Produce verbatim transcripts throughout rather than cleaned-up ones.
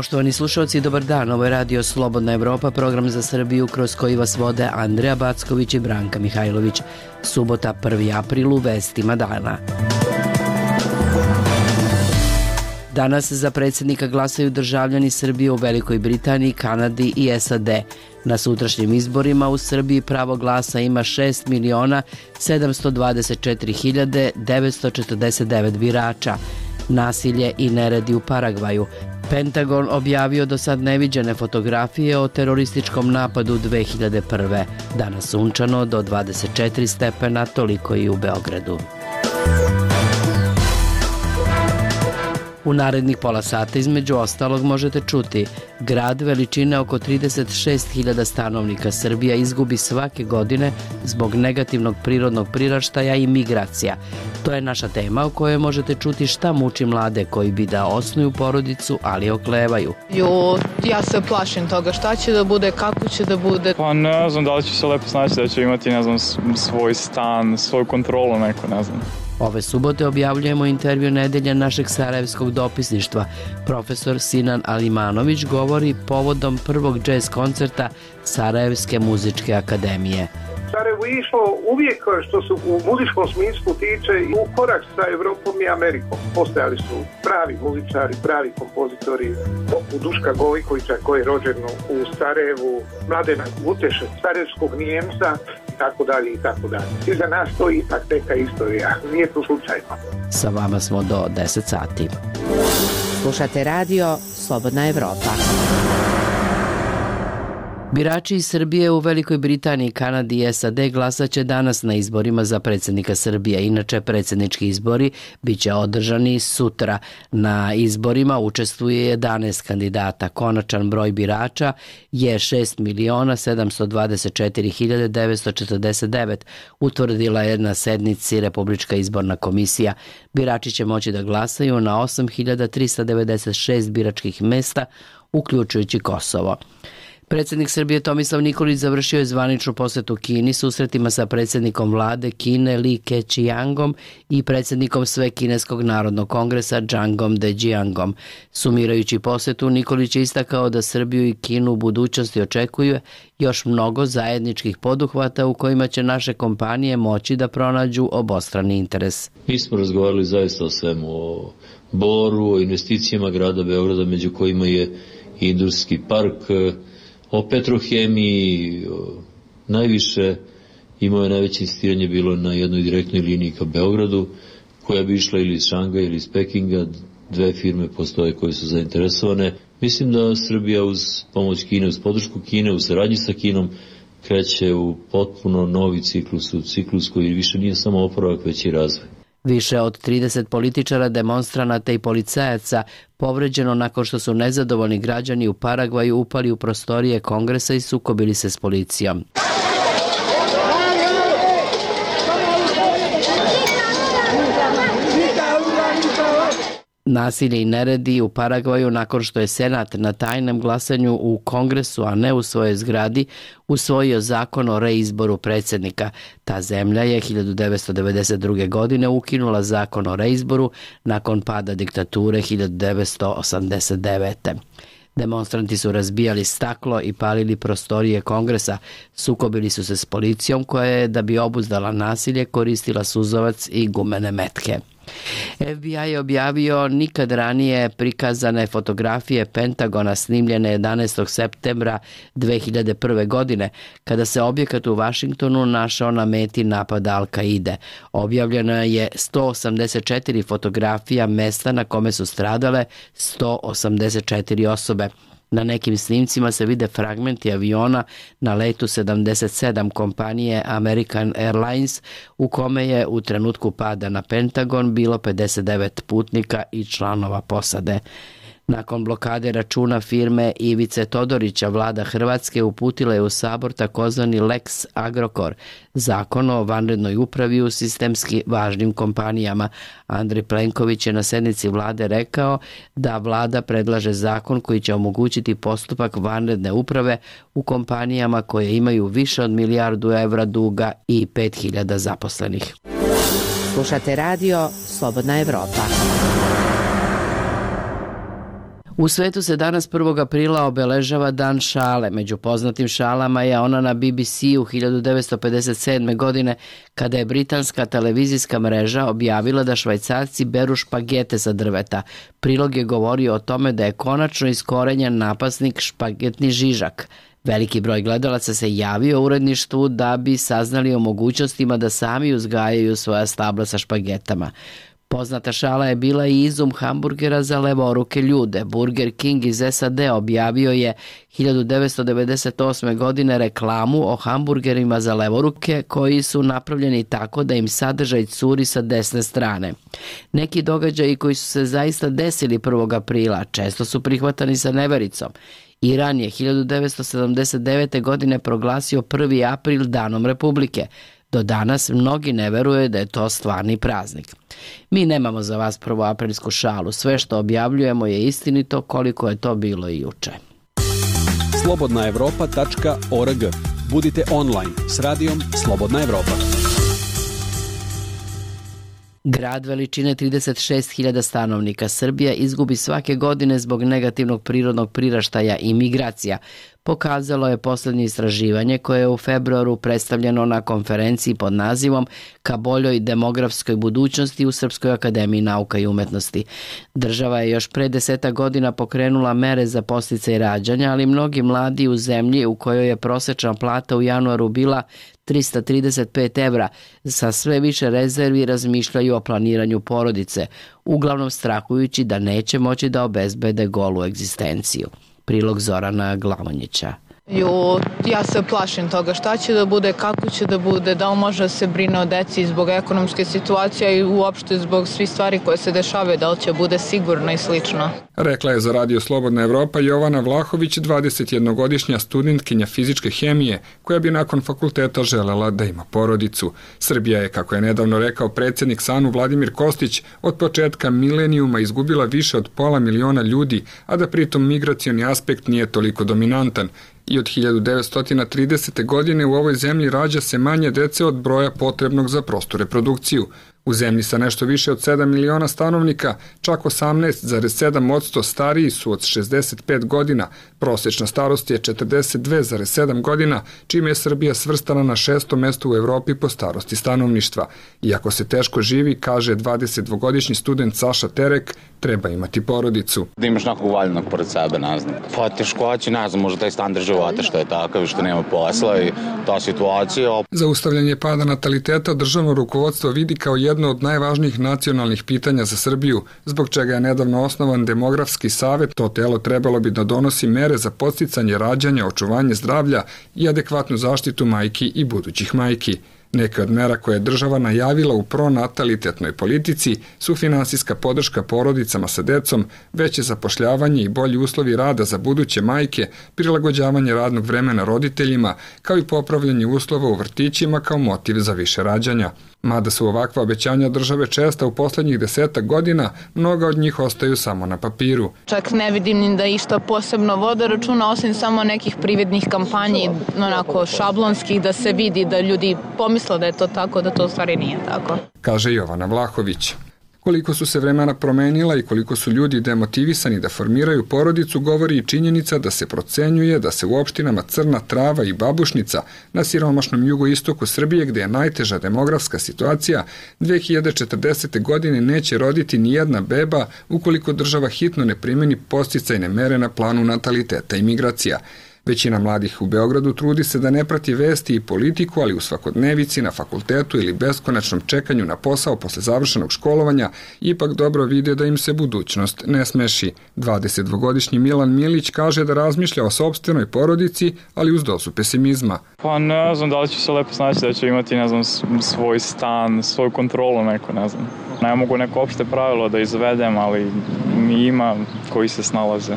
Poštovani slušalci, dobar dan. Ovo je radio Slobodna Evropa, program za Srbiju kroz koji vas vode Andreja Backović i Branka Mihajlović. Subota, prvi april, u vestima dana. Danas za predsjednika glasaju državljani Srbije u Velikoj Britaniji, Kanadi i S A D. Na sutrašnjim izborima u Srbiji pravo glasa ima šest miliona sedamsto dvadeset četiri hiljade devetsto četrdeset devet birača. Nasilje i neredi u Paragvaju. Pentagon objavio do sad neviđene fotografije o terorističkom napadu dve hiljade prve. Danas sunčano do dvadeset četiri stepena, toliko i u Beogradu. U narednih pola sata između ostalog možete čuti: grad veličine oko trideset šest hiljada stanovnika Srbija izgubi svake godine zbog negativnog prirodnog priraštaja i migracija. To je naša tema u kojoj možete čuti šta muči mlade koji bi da osnuju porodicu, ali oklevaju. Jo, ja se plašim toga šta će da bude, kako će da bude. Pa ne znam, da li ću se lepo snaći, da ću imati, ne znam, svoj stan, svoju kontrolu neko, ne znam. Ove subote objavljujemo intervju nedelje našeg sarajevskog dopisništva. Profesor Sinan Alimanović govori povodom prvog džez koncerta Sarajevske muzičke akademije. Sarajevo je išlo uvijek što se u muzičkom smislu tiče u korak sa Evropom i Amerikom. Postojali su pravi muzičari, pravi kompozitori, poput Duška Gojkovića koji je rođen u Sarajevu, Mladena Guteša, sarajevskog Nijemca i tako dalje i tako dalje. I za nas to ipak neka istorija, nije to slučajno. Sa vama smo do deset sati. Slušate radio Slobodna Evropa. Birači iz Srbije u Velikoj Britaniji, Kanadi i S A D glasaće danas na izborima za predsjednika Srbije. Inače, predsjednički izbori bit će održani sutra. Na izborima učestvuje jedanaest kandidata. Konačan broj birača je šest miliona sedamsto dvadeset četiri hiljade devetsto četrdeset devet, utvrdila je na sednici Republička izborna komisija. Birači će moći da glasaju na osam hiljada trista devedeset šest biračkih mesta, uključujući Kosovo. Predsjednik Srbije Tomislav Nikolić završio je zvaničnu posetu Kini susretima sa predsjednikom vlade Kine Li Keqiangom i predsjednikom Svekineskog narodnog kongresa Zhangom Dejiangom. Sumirajući posetu, Nikolić je istakao da Srbiju i Kinu u budućnosti očekuje još mnogo zajedničkih poduhvata u kojima će naše kompanije moći da pronađu obostrani interes. Mi smo razgovarali zaista o svemu, o Boru, o investicijama grada Beograda, među kojima je industrijski park, o petrohemiji. Najviše imao je najveće insistiranje bilo na jednoj direktnoj liniji ka Beogradu, koja bi išla ili iz Šangaja ili iz Pekinga. Dve firme postoje koje su zainteresovane. Mislim da Srbija uz pomoć Kine, uz podršku Kine, u saradnji sa Kinom, kreće u potpuno novi ciklus, u ciklus koji više nije samo oporavak, već i razvoj. Više od trideset političara, demonstranata i policajaca povređeno nakon što su nezadovoljni građani u Paragvaju upali u prostorije kongresa i sukobili se s policijom. Nasilje i neredi u Paragvaju nakon što je Senat na tajnom glasanju u Kongresu, a ne u svojoj zgradi, usvojio zakon o reizboru predsjednika. Ta zemlja je hiljadu devetsto devedeset druge. godine ukinula zakon o reizboru nakon pada diktature hiljadu devetsto osamdeset devete. Demonstranti su razbijali staklo i palili prostorije kongresa, sukobili su se s policijom koja je, da bi obuzdala nasilje, koristila suzovac i gumene metke. F B I je objavio nikad ranije prikazane fotografije Pentagona snimljene jedanaestog septembra dve hiljade prve. godine, kada se objekat u Vašingtonu našao na meti napada Al-Kaide. Objavljeno je sto osamdeset četiri fotografija mesta na kome su stradale sto osamdeset četiri osobe. Na nekim snimcima se vide fragmenti aviona na letu sedamdeset sedam kompanije American Airlines, u kome je u trenutku pada na Pentagon bilo pedeset devet putnika i članova posade. Nakon blokade računa firme Ivice Todorića, vlada Hrvatske uputila je u Sabor takozvani Lex Agrokor, zakon o vanrednoj upravi u sistemski važnim kompanijama. Andrej Plenković je na sednici vlade rekao da vlada predlaže zakon koji će omogućiti postupak vanredne uprave u kompanijama koje imaju više od milijardu evra duga i pet hiljada zaposlenih. U svetu se danas prvog aprila obeležava Dan šale. Među poznatim šalama je ona na B B C-u hiljadu devetsto pedeset sedme. godine kada je britanska televizijska mreža objavila da Švajcarci beru špagete sa drveta. Prilog je govorio o tome da je konačno iskorenjen napasnik špagetni žižak. Veliki broj gledalaca se javio uredništvu da bi saznali o mogućnostima da sami uzgajaju svoja stabla sa špagetama. Poznata šala je bila i izum hamburgera za levoruke ljude. Burger King iz S A D objavio je hiljadu devetsto devedeset osme. godine reklamu o hamburgerima za levoruke koji su napravljeni tako da im sadržaj curi sa desne strane. Neki događaji koji su se zaista desili prvog aprila često su prihvatani sa nevericom. Iran je hiljadu devetsto sedamdeset devete. godine proglasio prvi april Danom Republike. Do danas mnogi ne veruje da je to stvarni praznik. Mi nemamo za vas prvoaprilsku šalu. Sve što objavljujemo je istinito koliko je to bilo i juče. slobodna evropa tačka org. Budite online s radijom Slobodna Evropa. Grad veličine trideset šest hiljada stanovnika Srbija izgubi svake godine zbog negativnog prirodnog priraštaja i migracija, pokazalo je poslednje istraživanje koje je u februaru predstavljeno na konferenciji pod nazivom Ka boljoj demografskoj budućnosti u Srpskoj akademiji nauka i umetnosti. Država je još pre deseta godina pokrenula mere za podsticaj rađanja, ali mnogi mladi u zemlji u kojoj je prosečna plata u januaru bila trista trideset pet evra, sa sve više rezervi razmišljaju o planiranju porodice, uglavnom strahujući da neće moći da obezbede golu egzistenciju. Prilog Zorana Glavonjića. Jo, ja se plašim toga šta će da bude, kako će da bude, da li može da se brine o deci zbog ekonomske situacije i uopšte zbog svih stvari koje se dešavaju, da li će bude sigurno i slično. Rekla je za Radio Slobodna Evropa Jovana Vlahović, dvadesetjednogodišnja studentkinja fizičke hemije, koja bi nakon fakulteta želela da ima porodicu. Srbija je, kako je nedavno rekao predsjednik SANU Vladimir Kostić, od početka milenijuma izgubila više od pola miliona ljudi, a da pritom migracioni aspekt nije toliko dominantan. I od hiljadu devetsto tridesete. godine u ovoj zemlji rađa se manje dece od broja potrebnog za prostu reprodukciju. U zemlji sa nešto više od sedam miliona stanovnika, čak osamnaest zarez sedam posto stariji su od šezdeset pet godina, prosečna starost je četrdeset dve zarez sedam godina, čime je Srbija svrstana na šesto mesto u Evropi po starosti stanovništva. Iako se teško živi, kaže dvadesetdvogodišnji student Saša Terek, treba imati porodicu. Da imaš nekog valjenog pored sebe, ne znam. Pa teškoće, ne znam, možda taj standard života što je takav, što nema posla i ta situacija. Zaustavljanje pada nataliteta državno rukovodstvo vidi kao jedno od najvažnijih nacionalnih pitanja za Srbiju, zbog čega je nedavno osnovan Demografski savet. To telo trebalo bi da donosi mere za podsticanje rađanja, očuvanje zdravlja i adekvatnu zaštitu majki i budućih majki. Neke od mera koje je država najavila u pronatalitetnoj politici su finansijska podrška porodicama sa decom, veće zapošljavanje i bolji uslovi rada za buduće majke, prilagođavanje radnog vremena roditeljima, kao i popravljanje uslova u vrtićima kao motiv za više rađanja. Mada su ovakva obećanja države česta u poslednjih desetak godina, mnoga od njih ostaju samo na papiru. Čak ne vidim ni da išta posebno vode računa, osim samo nekih prividnih kampanji, onako šablonskih, da se vidi da ljudi pomisle da je to tako, da to u stvari nije tako. Kaže Jovana Vlahović. Koliko su se vremena promenila i koliko su ljudi demotivisani da formiraju porodicu, govori i činjenica da se procenjuje da se u opštinama Crna Trava i Babušnica na siromašnom jugoistoku Srbije, gde je najteža demografska situacija, dve hiljade četrdesete. godine neće roditi ni jedna beba ukoliko država hitno ne primeni podsticajne mere na planu nataliteta i migracija. Većina mladih u Beogradu trudi se da ne prati vesti i politiku, ali u svakodnevici, na fakultetu ili beskonačnom čekanju na posao posle završenog školovanja ipak dobro vide da im se budućnost ne smeši. dvadesetdvogodišnji Milan Milić kaže da razmišlja o sopstvenoj porodici, ali uz dozu pesimizma. Pa ne znam da li će se lepo snaći, da će imati, ne znam, svoj stan, svoju kontrolu neko, ne znam. Ne mogu neko opšte pravilo da izvedem, ali ima koji se snalaze,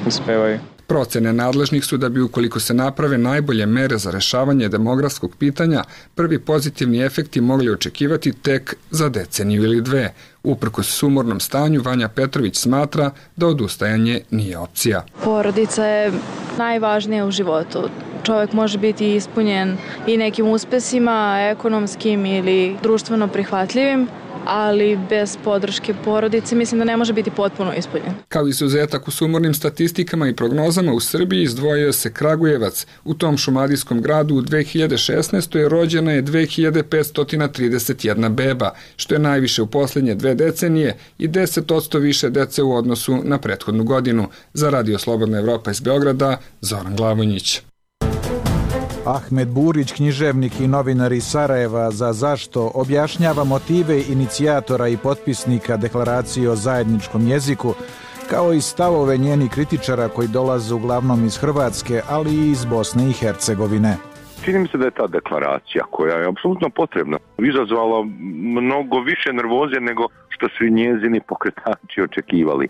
uspevaju. Procene nadležnih su da bi, ukoliko se naprave najbolje mere za rešavanje demografskog pitanja, prvi pozitivni efekti mogli očekivati tek za deceniju ili dve. Uprkos sumornom stanju, Vanja Petrović smatra da odustajanje nije opcija. Porodica je najvažnija u životu. Čovjek može biti ispunjen i nekim uspesima, ekonomskim ili društveno prihvatljivim, ali bez podrške porodice mislim da ne može biti potpuno ispunjen. Kao izuzetak u sumornim statistikama i prognozama u Srbiji izdvojio se Kragujevac. U tom šumadijskom gradu u dve hiljade šesnaestoj. rođena je dve hiljade petsto trideset jedna beba, što je najviše u posljednje dve decenije i deset posto više dece u odnosu na prethodnu godinu. Za Radio Slobodna Evropa iz Beograda, Zoran Glavonjić. Ahmed Burić, književnik i novinar iz Sarajeva, za Zašto objašnjava motive inicijatora i potpisnika deklaracije o zajedničkom jeziku, kao i stavove njenih kritičara koji dolaze uglavnom iz Hrvatske, ali i iz Bosne i Hercegovine. Čini mi se da je ta deklaracija, koja je apsolutno potrebna, izazvala mnogo više nervoze nego što su i njezini pokretači očekivali.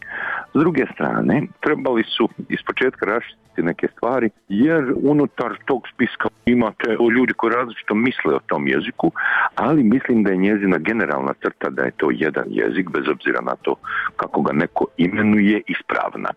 S druge strane, trebali su ispočetka raščistiti neke stvari, jer unutar tog spiska imate ljudi koji različito misle o tom jeziku, ali mislim da je njezina generalna crta da je to jedan jezik, bez obzira na to kako ga neko imenuje, ispravna.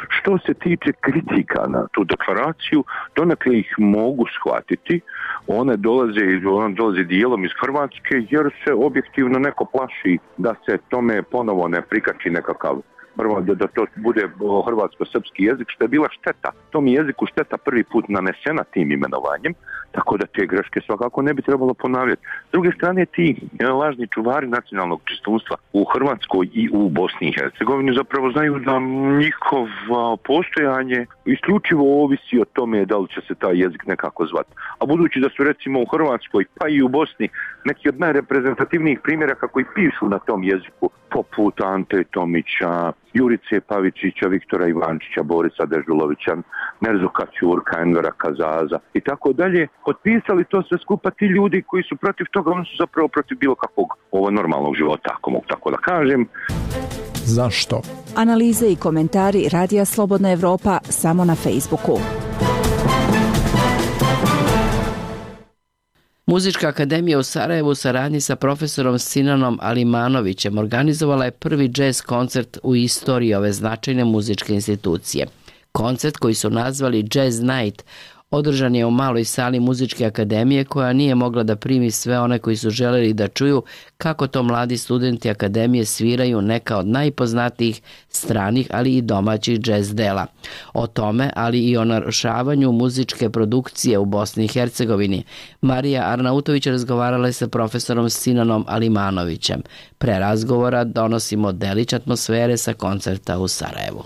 Što se tiče kritika na tu deklaraciju, donekle ih mogu shvatiti. One dolaze, one dolaze dijelom iz Hrvatske, jer se objektivno neko plaši da se tome ponovo ne prikači nekakav prvo da, da to bude hrvatsko-srpski jezik, što je bila šteta. Tom jeziku šteta prvi put nanesena tim imenovanjem, tako da te greške svakako ne bi trebalo ponavljati. S druge strane, ti lažni čuvari nacionalnog čistunstva u Hrvatskoj i u Bosni i Hercegovini zapravo znaju da njihovo postojanje isključivo ovisi o tome da li će se taj jezik nekako zvati. A budući da su recimo u Hrvatskoj pa i u Bosni neki od najreprezentativnijih primjera kako i pišu na tom jeziku, poput Ante Tomića, Jurice Pavičića, Viktora Ivančića, Borisa Dežulovića, Merzuka Ćurka, Envera Kazaza i tako dalje, potpisali to sve skupa ti ljudi koji su protiv toga, oni su zapravo protiv bilo kakvog ovo normalnog života, ako mogu tako da kažem. Zašto? Analize i komentari Radija Slobodna Evropa samo na Facebooku. Muzička akademija u Sarajevu u saradnji sa profesorom Sinanom Alimanovićem organizovala je prvi džez koncert u istoriji ove značajne muzičke institucije. Koncert, koji su nazvali Jazz Night, održan je u maloj sali muzičke akademije koja nije mogla da primi sve one koji su želeli da čuju kako to mladi studenti akademije sviraju neka od najpoznatijih stranih, ali i domaćih džez dela. O tome, ali i o narušavanju muzičke produkcije u Bosni i Hercegovini, Marija Arnautović razgovarala je sa profesorom Sinanom Alimanovićem. Pre razgovora donosimo delić atmosfere sa koncerta u Sarajevu.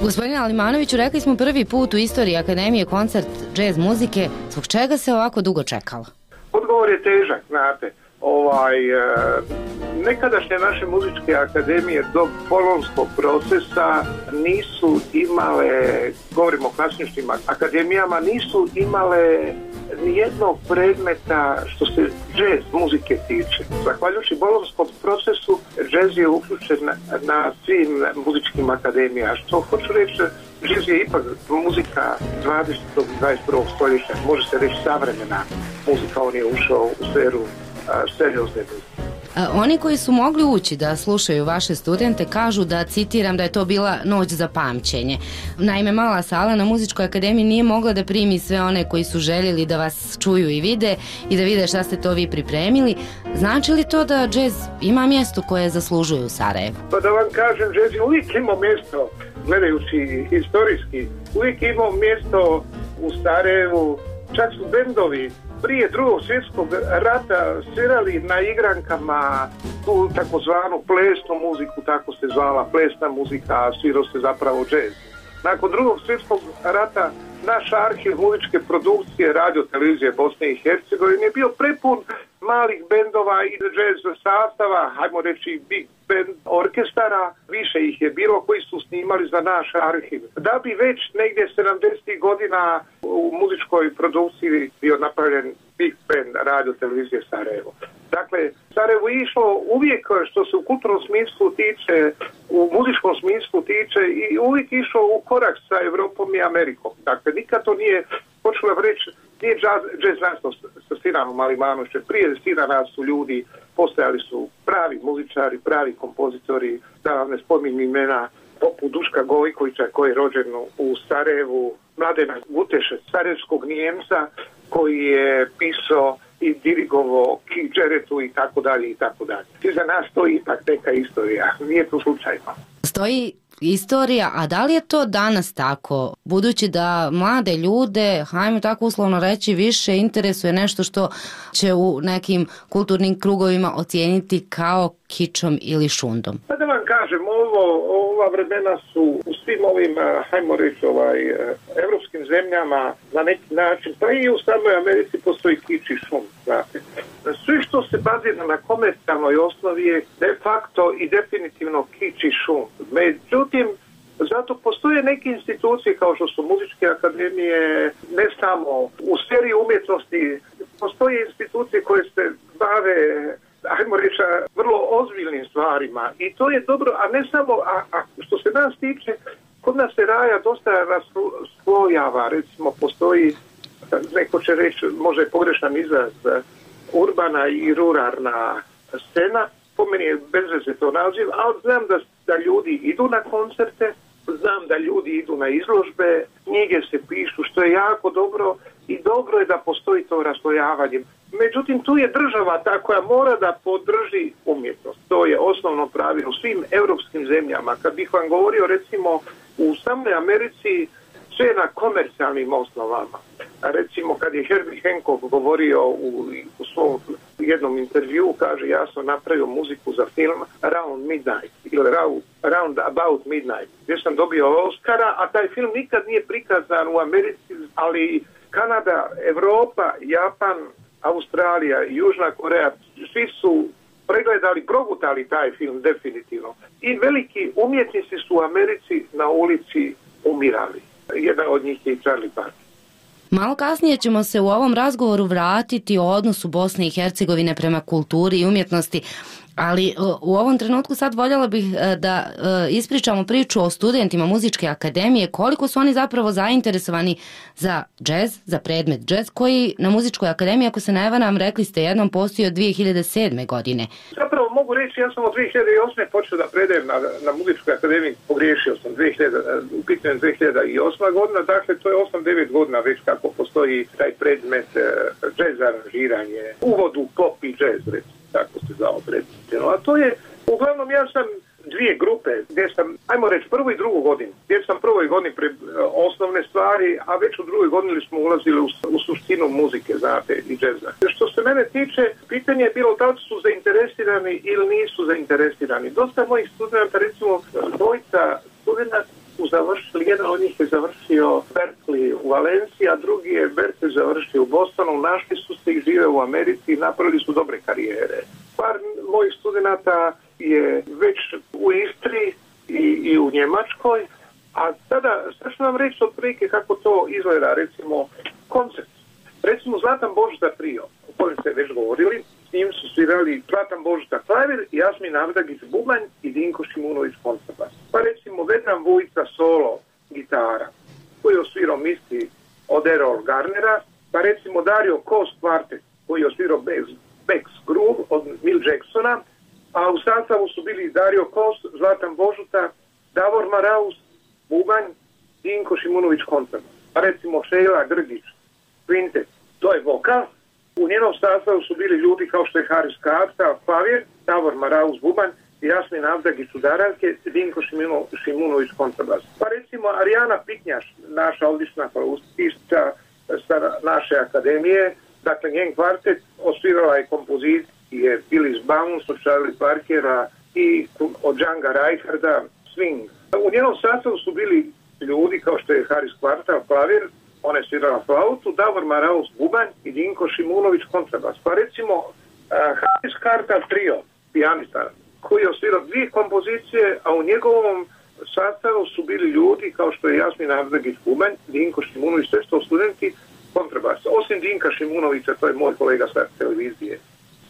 Gospodine Alimanoviću, rekli smo prvi put u istoriji Akademije koncert džez muzike. Zbog čega se ovako dugo čekalo? Odgovor je težak, znate. Ovaj, nekadašnje naše muzičke akademije do bolonjskog procesa nisu imale, govorimo o klasičnim akademijama, nisu imale nijednog predmeta što se džez muzike tiče. Zahvaljujući bolonjskom procesu, džez je uključen na, na svim muzičkim akademijama. Što hoću reći, džez je ipak muzika dvadesetog i dvadeset prvog stoljeća, može se reći savremena muzika, on je ušao u sferu seriozne muzike. Oni koji su mogli ući da slušaju vaše studente kažu da, citiram, da je to bila noć za pamćenje. Naime, mala sala na Muzičkoj akademiji nije mogla da primi sve one koji su željeli da vas čuju i vide i da vide šta ste to vi pripremili. Znači li to da džez ima mjesto koje zaslužuje u Sarajevu? Pa da vam kažem, džez je uvijek imao mjesto, gledajući historijski, uvijek imao mjesto u Sarajevu, čak su bendovi prije drugog svjetskog rata svirali na igrankama tu takozvanu plesnu muziku, tako se zvala plesna muzika, a svirao se zapravo džez. Nakon drugog svjetskog rata naš arhiv muzičke produkcije radio televizije Bosne i Hercegovine je bio prepun malih bendova i jazz sastava, hajmo reći big band orkestara, više ih je bilo koji su snimali za naš arhiv. Da bi već negdje sedamdesetih godina u muzičkoj produkciji bio napravljen big band radio televizije Sarajevo. Dakle, Sarajevo je išlo uvijek što se u kulturnom smislu tiče, u muzičkom smislu tiče i uvijek išlo u korak sa Evropom i Amerikom. Dakle, nikad to nije, počelo reći, nije jazz, jazz nastao sa Sinanom Alimanovićem. Prije Sinana su ljudi, postojali su pravi muzičari, pravi kompozitori, da vam ne spominjem imena, poput Duška Gojkovića koji je rođen u Sarajevu, Mladena Guteša, sarajevskog Nijemca koji je pisao i dirigovo Kidžeretu i tako dalje i tako dalje. I za nas to ipak neka istorija, nije to slučajno. Stoji istorija, a da li je to danas tako? Budući da mlade ljude, hajmo tako uslovno reći, više interesuje nešto što će u nekim kulturnim krugovima ocijeniti kao kičom ili šundom. Pa da vam kažem, ovo, ova vremena su u svim ovim, hajmo reći, ovaj, evropskim zemljama na neki način, pa i u samoj Americi postoji kič i šund, znate. Sve što se bazira na komercijalnoj osnovi je de facto i definitivno kič i šund. Međutim, zato postoje neke institucije kao što su muzičke akademije, ne samo u sferi umjetnosti, postoje institucije koje se bave, ajmo reći, vrlo ozbiljnim stvarima i to je dobro, a ne samo, a, a što se nas tiče, kod nas se raja dosta raslojava, recimo postoji, neko će reći, može pogrešan izraz, urbana i ruralna scena, po meni je bez veze to naziv, ali znam da, da ljudi idu na koncerte, znam da ljudi idu na izložbe, knjige se pišu, što je jako dobro i dobro je da postoji to raslojavanje. Međutim, tu je država ta koja mora da podrži umjetnost. To je osnovno pravilo u svim europskim zemljama. Kad bih vam govorio, recimo, u samoj Americi sve na komercijalnim osnovama. Recimo, kad je Herbie Hancock govorio u, u svom jednom intervju, kaže, ja sam napravio muziku za film Around Midnight ili Round About Midnight, gdje sam dobio Oscara, a taj film nikad nije prikazan u Americi, ali Kanada, Evropa, Japan, Australija i Južna Koreja, svi su pregledali, progutali taj film definitivno. I veliki umjetnici su u Americi na ulici umirali. Jedan od njih je Charlie Parker. Malo kasnije ćemo se u ovom razgovoru vratiti o odnosu Bosne i Hercegovine prema kulturi i umjetnosti, ali u ovom trenutku sad voljela bih da ispričamo priču o studentima muzičke akademije, koliko su oni zapravo zainteresovani za džez, za predmet džez, koji na muzičkoj akademiji, ako se ne varam, rekli ste jednom, postoji od dvije hiljade sedme. godine. Zapravo mogu reći, ja sam od dvije hiljade osme. počeo da predajem na, na muzičkoj akademiji, pogriješio sam, dvije hiljade, u pitanju dvije hiljade osma. godina, dakle to je osam devet godina već kako postoji taj predmet džez aranžiranje, uvod u pop i džez, recimo, tako se zvao predmet. A to je, uglavnom ja sam dvije grupe, gdje sam, ajmo reći, prvu i drugu godinu, gdje sam prvoj godini pre osnovne stvari, a već u drugoj godini smo ulazili u, u suštinu muzike, znate, i džeza. Što se mene tiče, pitanje je bilo da li su zainteresirani ili nisu zainteresirani. Dosta mojih studenta, recimo, dvojica studenta su završili, jedan od njih je završio Berkeley u Valenciji, a drugi je Berkeley završio u Bostonu, našli su se i žive u Americi i napravili su dobre karijere. Par mojih studenta je već u Istri i, i u Njemačkoj, a sada, sad ću vam reći otprilike kako to izgleda, recimo, koncert. Recimo Zlatan Božica trio, o kojem ste već govorili, s njim su svirali Zlatan Božica klavir, Jasmin Avdagić bubanj i Dinko Šimunović kontrabas. Pa recimo Vedran Vujica solo gitara, koji je osvirao misti od Errol Garnera, pa recimo Dario Kos kvartet, koji je osvirao Beck's Groove od Mill Jacksona, a u sastavu su bili Dario Kos, Zlatan Božuta, Davor Maraus, bubanj, Dinko Šimunović kontrabas. Pa recimo Šejla Grgić, kvintet, to je vokal. U njenom sastavu su bili ljudi kao što je Haris Kafta, klavir, Davor Maraus, bubanj, Jasmin Avdagić udaranke, Dinko Šimunović kontrabas. Pa recimo Arijana Piknjaš, naša odlična flautista sa naše akademije, dakle njen kvartet, osvirala je kompozicije Billy's Bounce od Charlie Parkera i od Django Reinharda, Swing. U njenom sastavu su bili ljudi kao što je Haris Kvartal klavir, on je svirala flautu, Davor Maraus bubanj i Dinko Šimunović kontrabas. Pa recimo uh, Haris Kvartal trio, pijanista, koji je osvirao dvije kompozicije, a u njegovom sastavu su bili ljudi kao što je Jasmin Ardagić bubanj, Dinko Šimunović, sve sto studenti kontrabas. Osim Dinka Šimunovića, to je moj kolega sa televizije.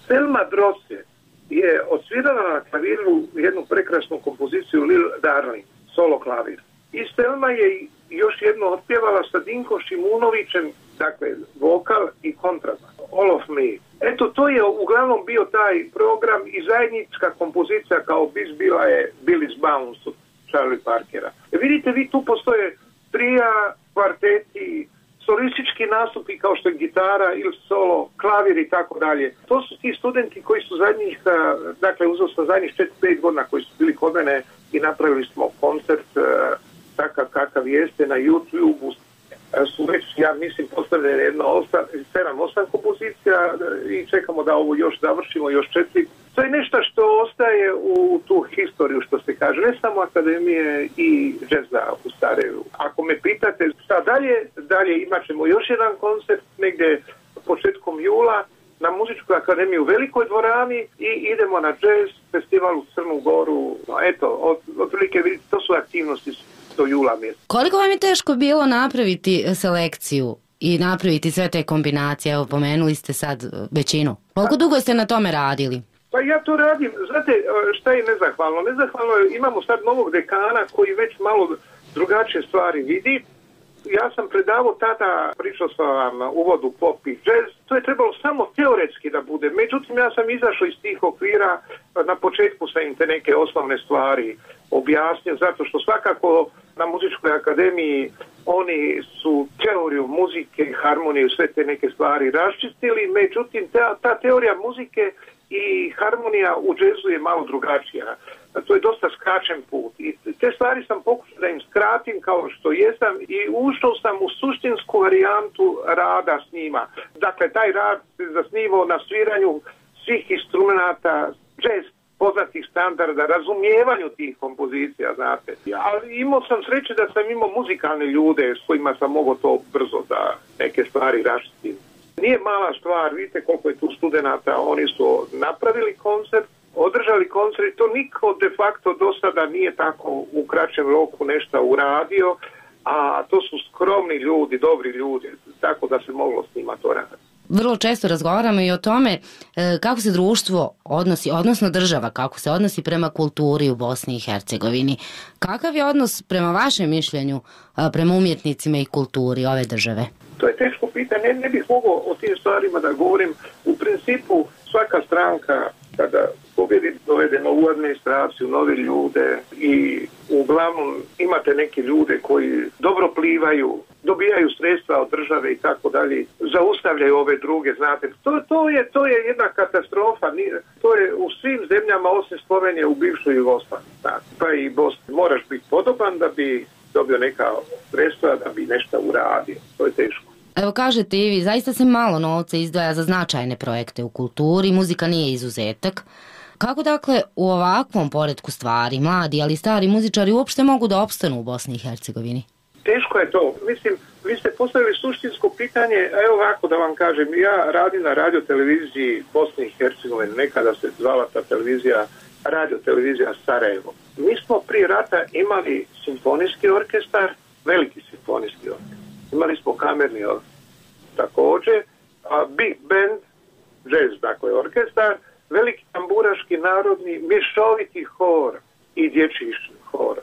Selma Drose je odsvirala na klaviru jednu prekrasnu kompoziciju Lil Darling, solo klavir. I Selma je još jedno otpjevala sa Dinko Šimunovićem, dakle, vokal i kontrabas. All of Me. Eto, to je uglavnom bio taj program i zajednička kompozicija kao bis bila je Billy's Bounce od Charlie Parkera. E, vidite, vi tu postoje trija, kvarteti, solistički nastupi kao što je gitara ili solo, klavir i tako dalje. To su ti studenti koji su zadnjih, dakle uzeo sam zadnjih četiri pet godina koji su bili kod mene i napravili smo koncert takav kakav jeste na YouTube-u. Su već, ja mislim, postavljene jedno sedam osam kompozicija i čekamo da ovo još završimo, još četiri. To je nešto što ostaje u tu historiju, što se kaže, ne samo akademije i džeza u Sarajevu. Ako me pitate šta dalje, dalje imat ćemo još jedan koncert negdje početkom jula na Muzičkoj akademiji u Velikoj dvorani i idemo na džez festival u Crnu Goru. Eto, od, otprilike vidite, to su aktivnosti do jula mjeseca. Koliko vam je teško bilo napraviti selekciju i napraviti sve te kombinacije? Evo, pomenuli ste sad većinu. Koliko dugo ste na tome radili? Pa ja to radim, znate šta je nezahvalno? Nezahvalno je, imamo sad novog dekana koji već malo drugačije stvari vidi. Ja sam predavao tada, pričao sam vam uvodu pop i jazz, to je trebalo samo teoretski da bude. Međutim, ja sam izašao iz tih okvira, na početku sam im te neke osnovne stvari objasnio, zato što svakako na Muzičkoj akademiji oni su teoriju muzike, harmoniju, sve te neke stvari raščistili, međutim ta, ta teorija muzike i harmonija u džezu je malo drugačija. To je dosta skraćen put. I te stvari sam pokušao da im skratim kao što jesam i ušao sam u suštinsku varijantu rada s njima. Dakle, taj rad se zasnivao na sviranju svih instrumenta, džez, poznatih standarda, razumijevanju tih kompozicija, znate. Ali imao sam sreće da sam imao muzikalne ljude s kojima sam mogao to brzo da neke stvari raščitim. Nije mala stvar, vidite koliko je tu studenata, oni su napravili koncert, održali koncert, to niko de facto do sada nije tako u kraćem roku nešto uradio, a to su skromni ljudi, dobri ljudi, tako da se moglo s njima to raditi. Vrlo često razgovaramo i o tome kako se društvo odnosi, odnosno država, kako se odnosi prema kulturi u Bosni i Hercegovini. Kakav je odnos prema vašem mišljenju prema umjetnicima i kulturi ove države? To je teško pitanje, ne, ne bih mogao o tim stvarima da govorim. U principu svaka stranka kada pobjedi dovede novu administraciju, nove ljude i uglavnom imate neke ljude koji dobro plivaju, dobijaju sredstva od države i tako dalje, zaustavljaju ove druge, znate. To, to, je, to je jedna katastrofa, to je u svim zemljama osim Slovenije u bivšoj Jugoslaviji. Pa i Bosni, moraš biti podoban da bi dobio neka sredstva, da bi nešto uradio. To je teško. Evo kažete i vi, zaista se malo novca izdvaja za značajne projekte u kulturi, muzika nije izuzetak. Kako dakle u ovakvom poretku stvari mladi, ali stari muzičari uopšte mogu da opstanu u Bosni i Hercegovini? Teško je to. Mislim, vi ste postavili suštinsko pitanje, evo ovako da vam kažem, ja radim na radioteleviziji Bosne i Hercegovine, nekada se zvala ta televizija radiotelevizija Sarajevo. Mi smo prije rata imali simfonijski orkestar, veliki simfonijski orkestar. Imali smo kamerni orkestar također, a big band, jazz, dakle orkestar, veliki tamburaški narodni, mješoviti hor i dječji hor.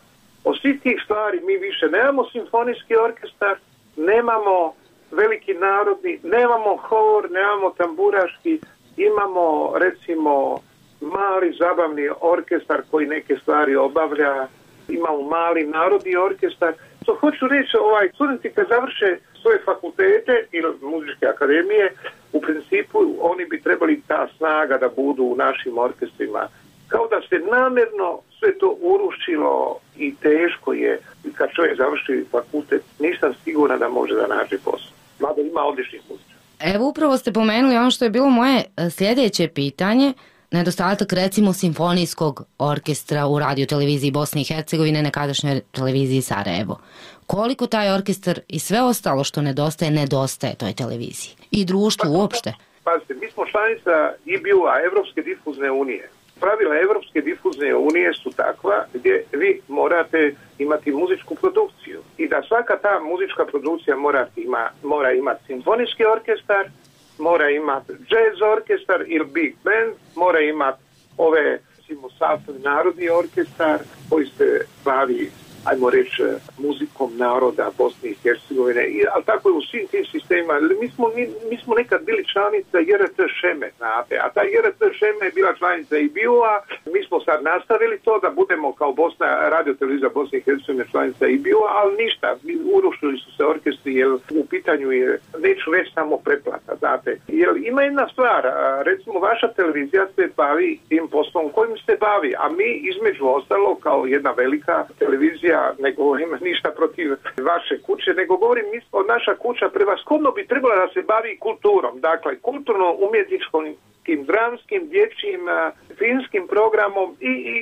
Od svih tih stvari mi više nemamo simfonijski orkestar, nemamo veliki narodni, nemamo hor, nemamo tamburaški, imamo recimo mali zabavni orkestar koji neke stvari obavlja, imamo mali narodni orkestar. To hoću reći, ovaj, studenti kad završe svoje fakultete ili muzičke akademije, u principu oni bi trebali ta snaga da budu u našim orkestrima. Kao da se namjerno sve to urušilo i teško je. Kad čovjek završi fakultet, nisam siguran da može da nađe posao. Mada ima odličnih muzičara. Evo upravo ste pomenuli ono što je bilo moje sljedeće pitanje. nedostatak recimo simfonijskog orkestra u radio televiziji Bosne i Hercegovine, nekadašnjoj televiziji Sarajevo. Koliko taj orkestar i sve ostalo što nedostaje, nedostaje toj televiziji i društvu uopšte? Pazite, mi smo članica I B U-a, Evropske difuzne unije. Pravila Evropske difuzne unije su takva gdje vi morate imati muzičku produkciju i da svaka ta muzička produkcija mora, ima, mora imati simfonijski orkestar, mora imati jazz orkestar ili big band, mora imati ove sastavni narodni orkestar koji se bavi, ajmo reći, muzikom naroda Bosne i Hercegovine, ali tako je u svim tim sistemima. Mi smo, mi, mi smo nekad bili članica J R T Šeme, znate, a ta J R T Šeme je bila članica I B U-a, mi smo sad nastavili to da budemo kao Bosna, radio televizija Bosne i Hercegovine članica I B U-a, ali ništa, urušili su se orkestri, jer u pitanju je, neću reći samo pretplata, znate. Jer ima jedna stvar, recimo vaša televizija se bavi tim poslom kojim se bavi, a mi između ostalo kao jedna velika televizija, ne govorim ništa protiv vaše kuće, nego govorim od naša kuća prevashodno bi trebala da se bavi kulturom, dakle kulturno-umjetničkim, dramskim, dječjim, filmskim programom i, i,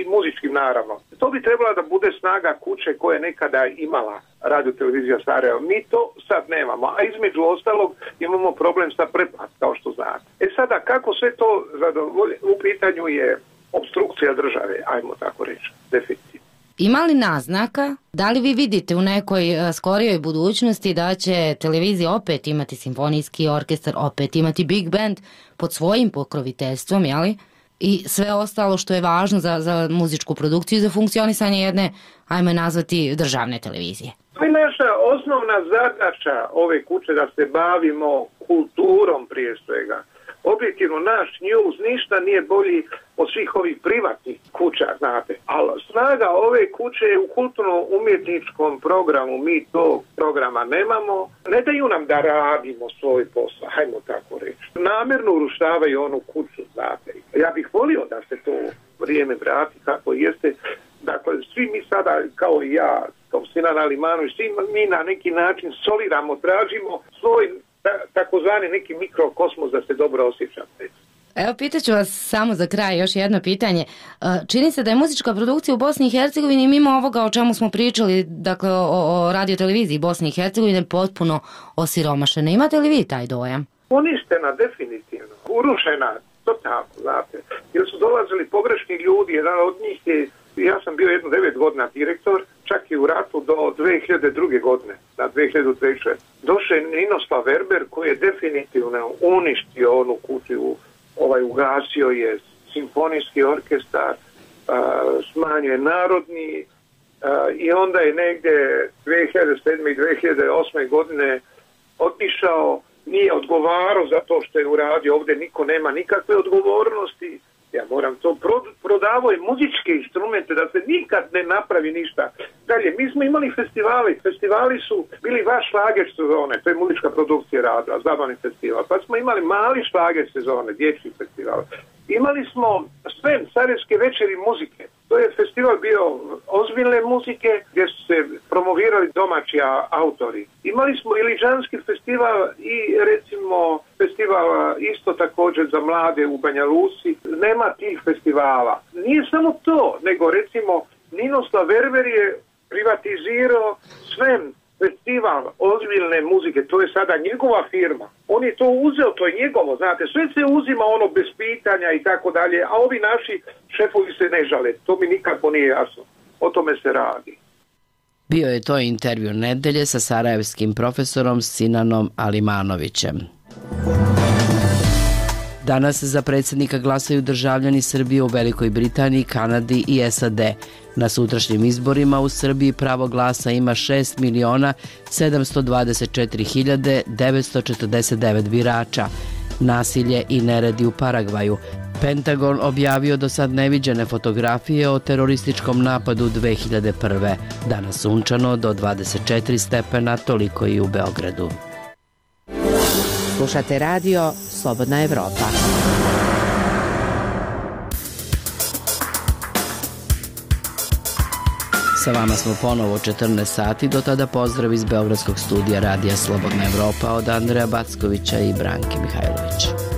i muzičkim naravno. To bi trebala da bude snaga kuće koja je nekada imala radio televizija Sarajevo. Mi to sad nemamo, a između ostalog imamo problem sa pretplatom, kao što znate. E sada, kako sve to zadovolje, u pitanju je opstrukcija države, ajmo tako reći, definitivno. Ima li naznaka, da li vi vidite u nekoj skorijoj budućnosti da će televizija opet imati simfonijski orkestar, opet imati big band pod svojim pokroviteljstvom, jeli? I sve ostalo što je važno za, za muzičku produkciju i za funkcionisanje jedne, ajmo nazvati, državne televizije? To je naša osnovna zadaća ove kuće da se bavimo kulturom prije svega. Objektivno naš news ništa nije bolji od svih ovih privatnih kuća, znate. Ali snaga ove kuće je u kulturno-umjetničkom programu, mi tog programa nemamo. Ne daju nam da radimo svoj posao, hajmo tako reći. Namjerno urušavaju onu kuću, znate. Ja bih volio da se to vrijeme vrati kako jeste. Dakle, svi mi sada, kao i ja, kao Sinan Alimanović, svi mi na neki način soliramo, tražimo svoj takozvani neki mikrokosmos da se dobro osjećate. Evo, pitaću vas samo za kraj još jedno pitanje. Čini se da je muzička produkcija u Bosni i Hercegovini mimo ovoga o čemu smo pričali, dakle o, o radioteleviziji Bosne i Hercegovine, potpuno osiromašena. Imate li vi taj dojam? Uništena, definitivno. Urušena, totalno, znate. Jer su dolazili pogrešni ljudi, jedan od njih je, ja sam bio jedno devet godina direktor, čak i u ratu do dvije hiljade druge godine, na dvije hiljade treće. Došao je Ninoslav Verber koji je definitivno uništio onu kuću, ovaj, ugasio je simfonijski orkestar, smanjio je narodni i onda je negdje dvije hiljade sedme i dvije hiljade osme godine otišao, nije odgovarao za to što je uradio, ovdje niko nema nikakve odgovornosti. Ja moram to, prodavao je muzičke instrumente da se nikad ne napravi ništa. Dalje, mi smo imali festivali, festivali su bili vaš šlager sezone, to je muzička produkcija radila, zabavni festival, pa smo imali mali šlager sezone, dječji festival. Imali smo sve sarajevske večeri muzike, to je festival bio ozbiljne muzike gdje su se promovirali domaći autori. Imali smo Iliđanski festival i recimo festival isto također za mlade u Banja Luci. Nema tih festivala. Nije samo to, nego recimo Ninoslav Verber je privatizirao sve festival ozbiljne muzike, to je sada njegova firma. On je to uzeo, to je njegovo, znate, sve se uzima ono bez pitanja i tako dalje, a ovi naši šefovi se ne žale. To mi nikako nije jasno. O tome se radi. Bio je to intervju nedelje sa sarajevskim profesorom Sinanom Alimanovićem. Danas za predsjednika glasaju državljani Srbije u Velikoj Britaniji, Kanadi i S A D. Na sutrašnjim izborima u Srbiji pravo glasa ima šest miliona sedamsto dvadeset četiri hiljade devetsto četrdeset devet birača. Nasilje i neredi u Paragvaju. Pentagon objavio do sad neviđene fotografije o terorističkom napadu dve hiljade prve. Danas sunčano do dvadeset četiri stepena, toliko i u Beogradu. Slušate radio Slobodna Evropa. Sa vama smo ponovo u četrnaest sati, do tada pozdrav iz Beogradskog studija radija Slobodna Evropa od Andreja Backovića i Branke Mihajlovića.